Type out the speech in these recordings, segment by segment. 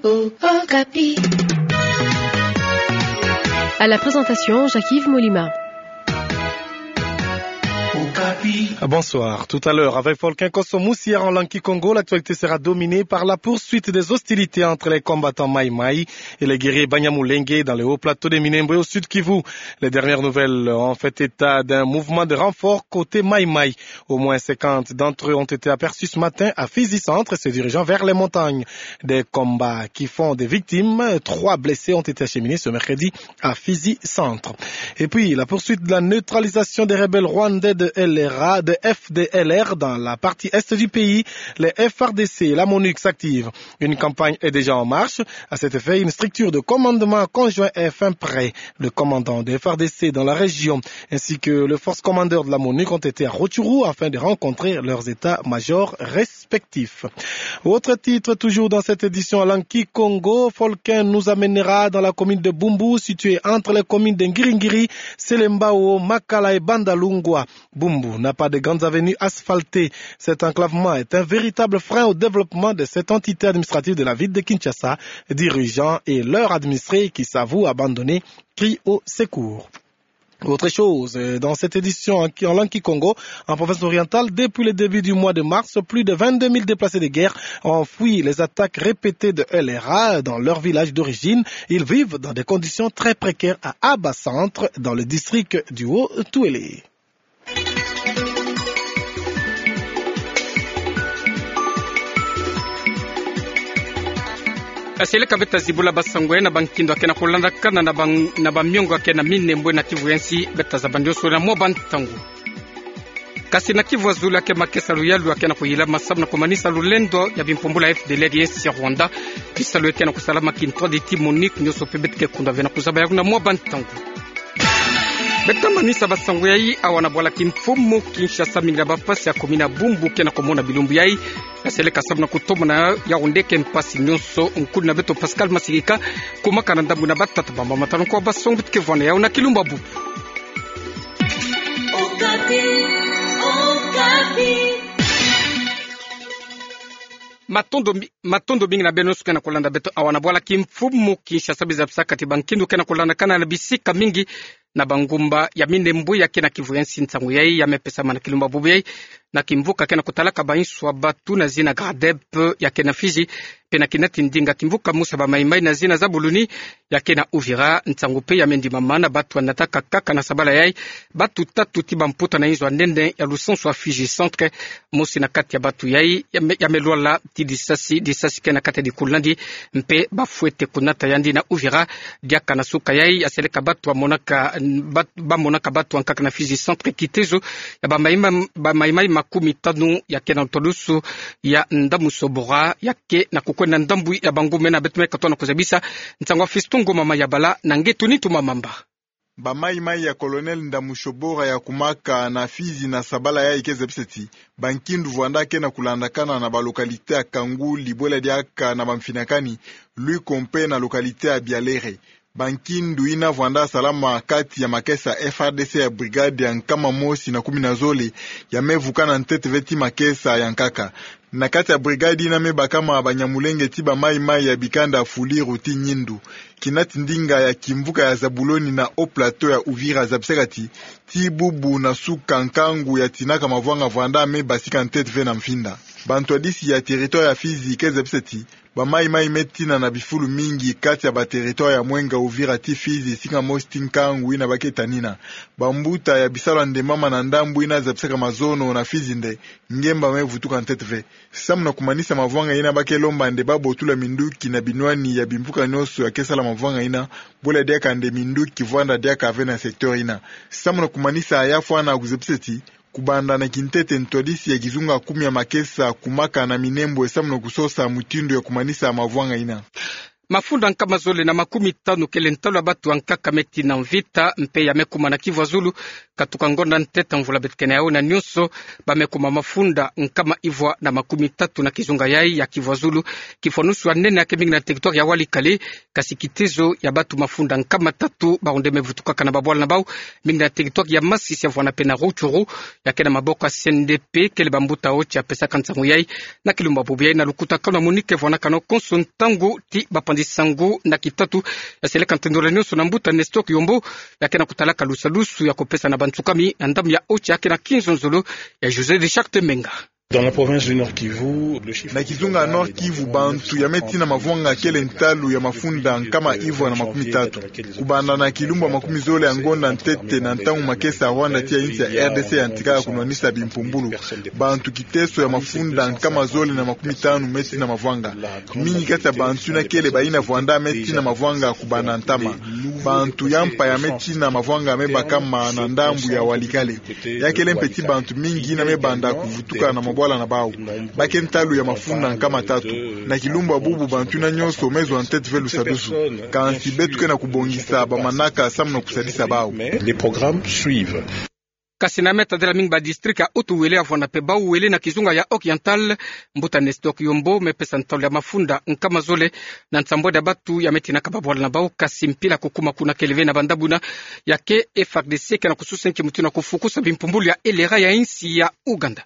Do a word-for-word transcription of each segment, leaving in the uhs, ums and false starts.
Okapi. À la présentation, Jacques-Yves Molima. Bonsoir. Tout à l'heure, avec Folkin Kosso Moussier en langue kikongo, l'actualité sera dominée par la poursuite des hostilités entre les combattants Maï-Maï et les guerriers Banyamulenge dans le haut plateau de Minembwe au Sud-Kivu. Les dernières nouvelles ont fait état d'un mouvement de renfort côté Maï-Maï. Au moins cinquante d'entre eux ont été aperçus ce matin à Fizi Centre, se dirigeant vers les montagnes. Des combats qui font des victimes. Trois blessés ont été acheminés ce mercredi à Fizi Centre. Et puis, la poursuite de la neutralisation des rebelles rwandais de L R A, de F D L R dans la partie est du pays. Les F A R D C et la MONUC s'activent. Une campagne est déjà en marche. À cet effet, une structure de commandement conjoint est enfin prête. Le commandant de F A R D C dans la région ainsi que le force commander de la MONUC ont été à Rutshuru afin de rencontrer leurs états-majors respectifs. Autre titre, toujours dans cette édition en langue kikongo, Folkin nous amènera dans la commune de Bumbu, située entre les communes de Ngiri-Ngiri, Selembao, Makala et Bandalungwa. Bumbu n'a pas de grandes avenues asphaltées. Cet enclavement est un véritable frein au développement de cette entité administrative de la ville de Kinshasa. Dirigeants et leurs administrés qui s'avouent abandonnés crient au secours. Autre chose, euh, dans cette édition en, en langue kikongo, en province orientale, depuis le début du mois de mars, plus de vingt-deux mille déplacés de guerre ont fui les attaques répétées de L R A dans leur village d'origine. Ils vivent dans des conditions très précaires à Aba Centre, dans le district du Haut-Uélé. Aseleka beta zibula basango ya na bankindu akena kulandakana na ban-, na bamiongo akena Minembwe na Kivu ya nsi, beta zabandi yo sole na mwa bantangu. Kasi na Kivu ya zulu ake makesa luyalu akena kuyilama samu na kumanisa lulendo ya bimpumbulu ya F D L R ye nsi ya Rwanda. Bisalu ekena kusalama kintwadi ti MONUC, nionso mpe beta ke kunda ve na kuzaba yawu na mwa bantangu. Beta manisa basango yayi awa na bwala kimfumu Kinshasa, mingi na bampasi ya commune ya Bumbu kena kumona bilumbu yayi. Aseleka samu na kutomona yawu nde ke mpasi nionso. Nkulu na beto Pascal Masirika, kumaka na ndambu na batata bamba matano kwa basango beta ke vwanda yawu na kilumbu ya bubu. Okapi, Okapi. Matondo mi-, matondo mingi na beno nionso kena kulanda beto awa na bwala kimfumu Kinshasa. Biza bisaka ti bankindu kena kulandakana na bisika mingi na bangumba ya Minembwe ya kena Kivu ya nsi. Nsangu yayi ya me pesama na kilumbu ya bubu yayi na kimvuka kena kutalaka bainsu ya batu na zina Gradep ya kena Fizi, mpe na kinati ndinga kimvuka musa ba Maïmaï na zina Zabuluni ya kena Uvira. Nsangu mpe ya me ndimama na batu ya nataka kaka na sabala yayi batu tatu ti bamputa na inzo ya nene ya lusansu ya Fizi Centre. Mosi na kati ya batu yayi ya me, ya me lwala ti disasi, disasi kena kati ya dikulu na yandi, mpe bafwete kunata yandi na Uvira. Diaka na suka yayi, aseleka batu ya monaka, bat-, ba monaka batu ya nkaka na Fizi Centre kitezo ya ba Maïma-, ba Maïmaï makumi tanu ya kena ntwadusu ya Ndamusobora, ya ke na kukwenda ndambu ya bangumba. Na beto me katoa na kuzabisa nsangu ya Fiston Ngoma Mayabala na Ngetu Nintu Mamamba. Ba Maïmaï ya Colonel Ndamusobora ya kumaka na Fizi na sabala yayi ke zabisa ti bankindu vwanda kena kulandakana na ba localité ya Kanguli, bwela diaka na Bamfinakani, Luiko mpe na localité ya Bialere. Bankindu yina vwanda salama kati ya makesa F A R D C ya brigade ya nkama mosi na kumi na zole ya me vuka na ntete ve ti makesa ya nkaka. Na kati ya brigade yina me bakama Banyamulenge ti ba Maïmaï ya bikanda Fuliru ti Nyindu. Kinati ndinga ya kimvuka ya Zabuloni na Haut Plateau ya Uvira zabisaka ti, ti bubu na suka nkangu ya tinaka mavwanga vwanda me basika ntete ve na mfinda. Bantwadisi ya territoire ya Fizi ke zabisa ti ba Maïmaï me tina na bifulu mingi kati ya ba territoire ya mwenga Uvira ti Fizi, singa mosi ti nkangu yina ba ke tanina. Bambuta ya bisalu ya ndembama na ndambu yina zabisaka mazono na Fizi nde ngemba me vutuka ntete ve. Samu na kumanisa mavwanga yina, ba ke lomba nde ba botula minduki na binwani ya bimvuka nionso ya ke sala mavwanga yina, bwela diaka nde minduki vwanda diaka ve na secteur yina. Samu na kumanisa, ya fwana kuzabisa ti kubanda na kintete ntwadisi ya kizunga kumi ya makesa kumaka na Minembwe samu na kusosa mutindu ya kumanisa mavwanga yina. Mafunda nkama zole na makumi tanu kele ntalu ya batu ankaka me tina mvita, mpe ya me kuma na Kivu ya Zulu, katuka ngonda ntete mvula beto kena yawu na nyonso, ba me kuma mafunda nkama ivwa na makumi tatu na kizunga yayi ya Kivu ya Zulu. Kifwanusu ya nene ya ke mingi na territoire ya Walikale, kasi kitezo ya batu mafunda nkama tatu, bawu nde me vutukaka na babwala na bawu, mingi na territoire ya Masisi ya vwanda mpe na Rutshuru, ya ke na maboko ya C N D P, kele bambuta ocha pesaka nsangu yayi, na kilumbu bubu yayi na lukutakanu ya Monique vwanakano konso ntangu ti bapanzi sangu na kitatu ya seleka ntendolo nyonso na mbuta Nestor Kiyombo, ya ke na kutalaka lusadusu ya kupesa na bansukami na ndambu ya ocha ya ke na kinzonzolo ya José de Charte Menga. Dans la province du Nord-Kivu, le chiffre... Na kizunga ya Nord-Kivu, bantu ya me tina mavwanga kele ntalu ya mafunda nkama ivwa na makumi tatu. Kubanda na kilumbu ya makumi zole ya ngonda ntete na ntangu makesa ya Rwanda tia insi ya R D C yantika ya kunwanisa bimpumbulu, bantu kiteso ya mafunda nkama zole na makumi tanu me tina mavwanga. Mingi kati ya bantu yina kele bayina vwanda me tina mavwanga kubanda ntama. Bantu ya mpa ya me tina mavwanga me bakama na ndambu ya Walikale. Ya kele mpe ti bantu mingi yina me banda kuvutuka na mabwala na bawu. Ba ke ntalu ya mafunda nkama tatu. Na kilumbu ya bubu bantu yina nyonso me zwa ntete ve lusadusu. Kansi beto ke na kubongisa bamanaka samu na kusadisa bawu. Les programmes suivent. Kasi na me tadila mingi ba district ya Haut-Uele ya vwanda mpe Bas-Uele na kizunga ya Oriental, mbuta Nestor Kiyombo me pesa ntalu ya mafunda nkama zole na nsambwadi ya batu ya me tinaka babwala na bawu, kasi mpila kukuma kuna kele ve na banda buna, ya ke F A R D C ke na kususa nki mutindu ya kufukusa bimpumbulu ya LRA ya insi ya Ouganda.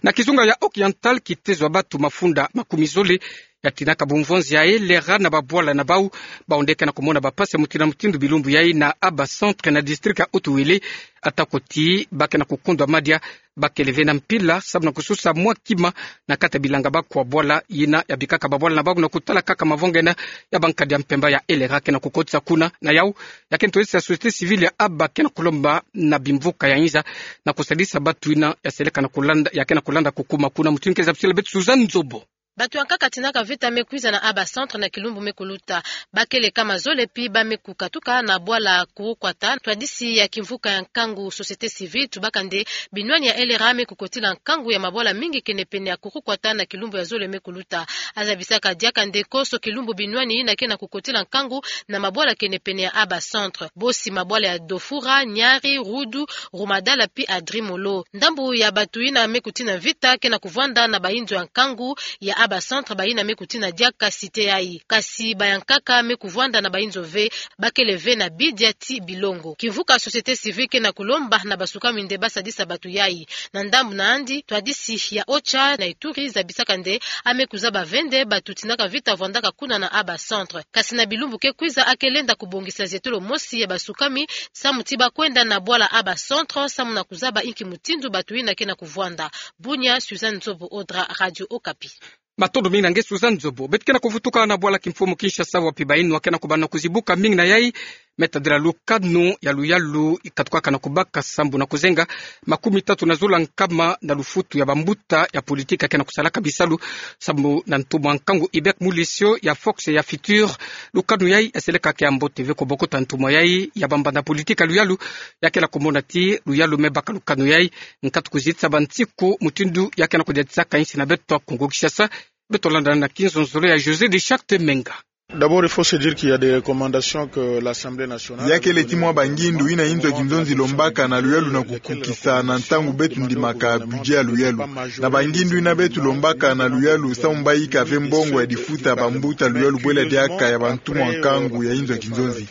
Na kizunga ya Oriental, kitezo ya batu mafunda makumi zole ya tinaka bumvonzi ya LRA na babwala na bawu, bawu nde ke na kumona bapasi ya mutindu na mutindu bilumbu yayi na Aba Centre na district ya Haut-Uele, atako ti ba ke na kukundwa madia, ba kele ve na mpila samu na kususa mwa kima na kati ya bilanga bakwa bwala yina ya bikaka babwala na bawu na kutala kaka mavwanga yina ya bankadi ya mpemba ya LRA ke na kukotisa kuna. Na yawu, ya ke ntwadisi ya société civile ya Aba ke na kulomba na bimvuka ya inza na kusadisa batu yina ya seleka na kulanda, ya ke na kulanda kukuma kuna. Mutindu ke zabisila beto Suzanne Nzobo. Batu ankaka tinaka vita me kwiza na Aba Centre na kilumbu me kuluta. Ba kele nkama zole pi ba me kukatuka na bwala Kurukwata, ntwadisi ya kimvuka ya nkangu société civile tubaka nde binwani ya LRA me kukotila nkangu ya mabwala mingi kene pene ya Kurukwata na kilumbu ya zole me kuluta. Azabisaka diaka nde konso kilumbu binwani yina ke na kukotila nkangu na mabwala kene pene ya Aba Centre. Bosi mabwala ya Dofura, Nyari, Rudu, Rumadala pi Adrimolo. Ndambu ya batu yina me kutina vita ke na kuvwanda na bayinzo ya nkangu ya Aba Centre, bayina me kutina diaka cité yayi. Kasi bayankaka me kuvwanda na bayinzo ve, ba kele ve na bidia ti bilongo. Kimvuka société civile ke na kulomba na basukami nde ba sadisa batu yayi. Na ndambu na yandi, ntwadisi ya OCHA na Ituri zabisaka nde a me kuzaba ve nde batu tinaka vita vwandaka kuna na Aba Centre. Kasi na bilumbu ke kwiza a ke lenda kubongisa zietolo mosi ya basukami samu ti ba kwenda na bwala Aba Centre samu na kuzaba inki mutindu batu yina ke na kuvwanda. Bunia, Suzanne Nzobo Odra, Radio Okapi. Matondo mingi na nge Suzanne Nzobo. Beto ke na kuvutuka na bwala kimfumu Kinshasa, wapi bayinwa ke na kubanda kuzibuka mingi na yayi, me tadila lukanu ya luyalu katukaka na kubaka sambu na kuzenga makumi tatu na zole nkama na lufutu ya bambuta ya politique ke na kusalaka bisalu sambu na ntumwa nkangu Hubert Mulesio ya Fox ya Futur. Lukanu yayi ya seleka ke ya mbote ve ko bokota ntumwa yayi ya bambanda politique ya luyalu, ya ke na kumona ti luyalu me baka lukanu yayi nkatu kuzitisa bansiku mutindu ya ke na kudiatisaka insi na beto Kongo Kinshasa. Beto landa na kinzonzolo ya José de Charte Menga. D'abord, il faut se dire qu'il y a des recommandations que l'Assemblée nationale... Ya kele ti mwa bangindu yina inzo ya kinzonzi lombaka na luyalu na kukukisa na ntangu beto ndimaka budget ya luyalu. Na bangindu yina beto lombaka na luyalu samu ba yika ve mbongo ya difuta bambuta luyalu bwela diaka ya bantumwa nkangu ya inzo ya kinzonzi.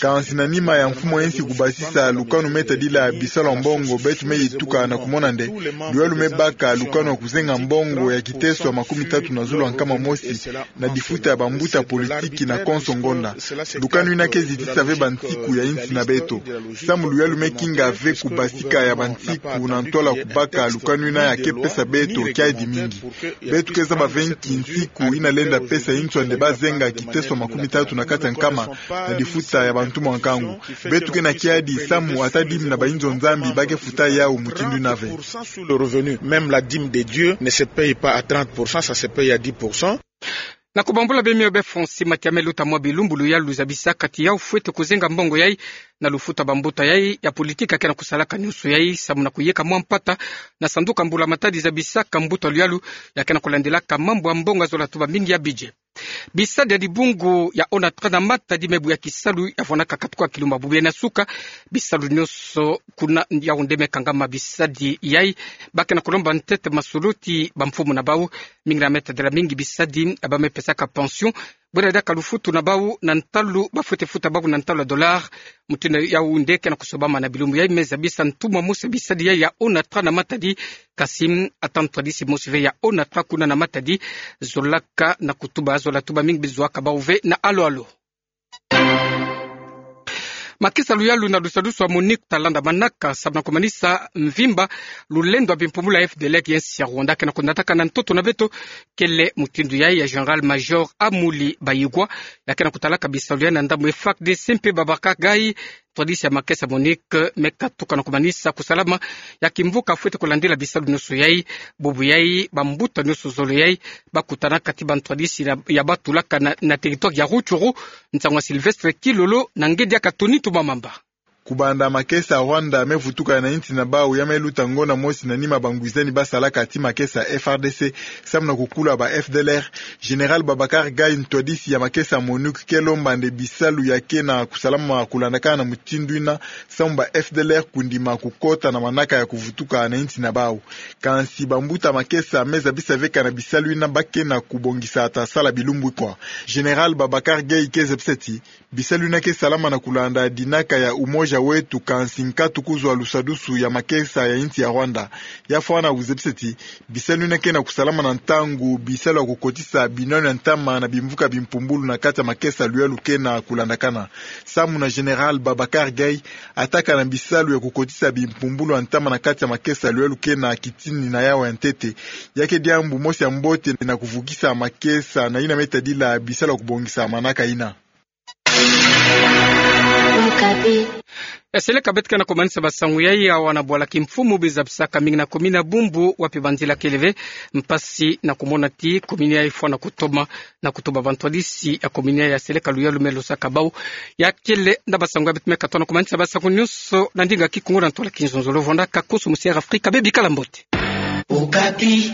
Kansi na nima ya mfumu ya insi kubasisa lukanu me tadila bisalu ya mbongo, beto me yituka na kumona nde luyalu me baka lukanu ya kuzenga mbongo ya kiteso ya makumi tatu na zole nkama mosi na difuta ya bambuta politique na konso ngonda. Lukanu yina ke zitisa ve bansiku ya insi na beto. Samu luyalu me kinga ve kubasika ya bansiku na ntwala kubaka lukanu yina ya ke pesa beto kiadi mingi. Beto ke zaba ve nki nsiku yina lenda pesa inzo nde ba zenga kiteso makumi tatu na kati ya nkama na difuta ya bantumwa nkangu. Beto ke na kiadi samu ata dîme na bayinzo Nzambi ba ke futa yawu mutindu yina ve. Sur le revenu, même la dîme de Dieu ne se paye pas à trente pour cent, ça se paye à dix pour cent. Na kubambula bemio be Francis Matiame, luta mwa bilumbu luyalu luzabisaka ti yawu fwete kuzenga mbongo yayi na lufuta bambuta yayi ya politique ya ke na kusalaka nyonso yayi samu na kuyeka mwa mpata na sanduku ya mbula matadi zabisaka mbuta luyalu ya ke na kulandilaka mambu ya mbongo ya zola tuba mingi ya budget. Bisadi ya dibungu ya ONATRA na matadi me bu ya kisalu ya vwanaka katuka kilumba bubu ya na suka. Bisalu nyonso kuna Yaoundé me kangama bisadi yai. Ba ke na kulomba ntete masoloti bamfumu na bau. Mingi na metadila mingi bisadi ya ba me pesaka pension, bwela diaka lufutu na bau na ntalu ba fwete futa bau na ntalu ya dollar. Mutindu Yaoundé ke na kusobama na bilumbu yai me zabisa ntumwa mosi bisadi yai ya ONATRA na matadi. Kasi ata ntwadisi mosi ve ya ONATRA kuna na matadi zolaka na kutuba, zola tuba mingi bizoaka bau ve na alo-alo. Makesa luyalu na lusadusu ya MONUC ta landa manaka samu na kumanisa mvimba lulendo ya bimpumbulu ya FDLR ya nsi ya Rwanda ke na kunataka na ntoto na beto. Kele mutindu yai ya Général-Major Amuli Bayigwa, ya ke na kutalaka bisalu yai na ndambu FARDC mpe Babacar Gaye, ntwadisi ya makesa MONUC, me katuka na kumanisa kusalama ya kimvuka fwete kulandila bisalu nyonso yai. Bubu yai bambuta nyonso zole yai ba kutanaka ti bantwadisi ya, ya ba tulaka na, na territoire ya Rutshuru. Nsangu ya Sylvestre Kilolo na ngedi ya Katoni Tumamamba. Kubanda makesa Rwanda me vutuka na insi na bau, ya me luta ngonda mosi na nima bangwizani ba salaka ti makesa FARDC samu na kukula ba FDLR, Général Babacar Gaye, ntwadisi ya makesa MONUC, ke lomba nde bisalu ya ke na kusalama kulandakana na mutindu ina samu ba FDLR kundima kukota na manaka ya kuvutuka na insi na bau. Kansi bambuta makesa me zabisa ve kana bisalu ina ba ke na kubongisa ta sala bilumbu ikwa. Général Babacar Gaye ke zabisa ti bisalu ina ke salama na kulanda dinaka ya Umoja Wetu, kansi nkatu kuzwa lusadusu ya makesa ya insi ya Rwanda. Ya fwana kuzabisa ti bisalu ina ke na kusalama na ntangu bisalu ya kukotisa binwani ya ntama na bimvuka bimpumbulu na kati ya makesa luyalu ke na kulandakana. Samu na Général Babacar Gaye, ata kana bisalu ya kukotisa bimpumbulu ya ntama na kati ya makesa luyalu ke na kitini na yawu ya ntete, ya ke diambu mosi ya mbote na kuvukisa makesa na yina me tadila bisalu ya kubongisa manaka ina. Okapi. E seleka beto ke na kumanisa basangu yai. Awa na bwala kimfumu bizabisaka mingi na komini ya Bumbu, wapi banzila kele ve mpasi na kumona ti komini yai fwana kutoma na kutuba. Bantwadisi ya komini yai ya seleka luyalu me losaka bau. Ya kele nde basangu ya beto me katona. Kumanisa basangu nyonso na ndinga Kikongo na ntwala Kinzonzolo, vwandaka konso musi Air Afrika. Bebikala mbote. Okapi.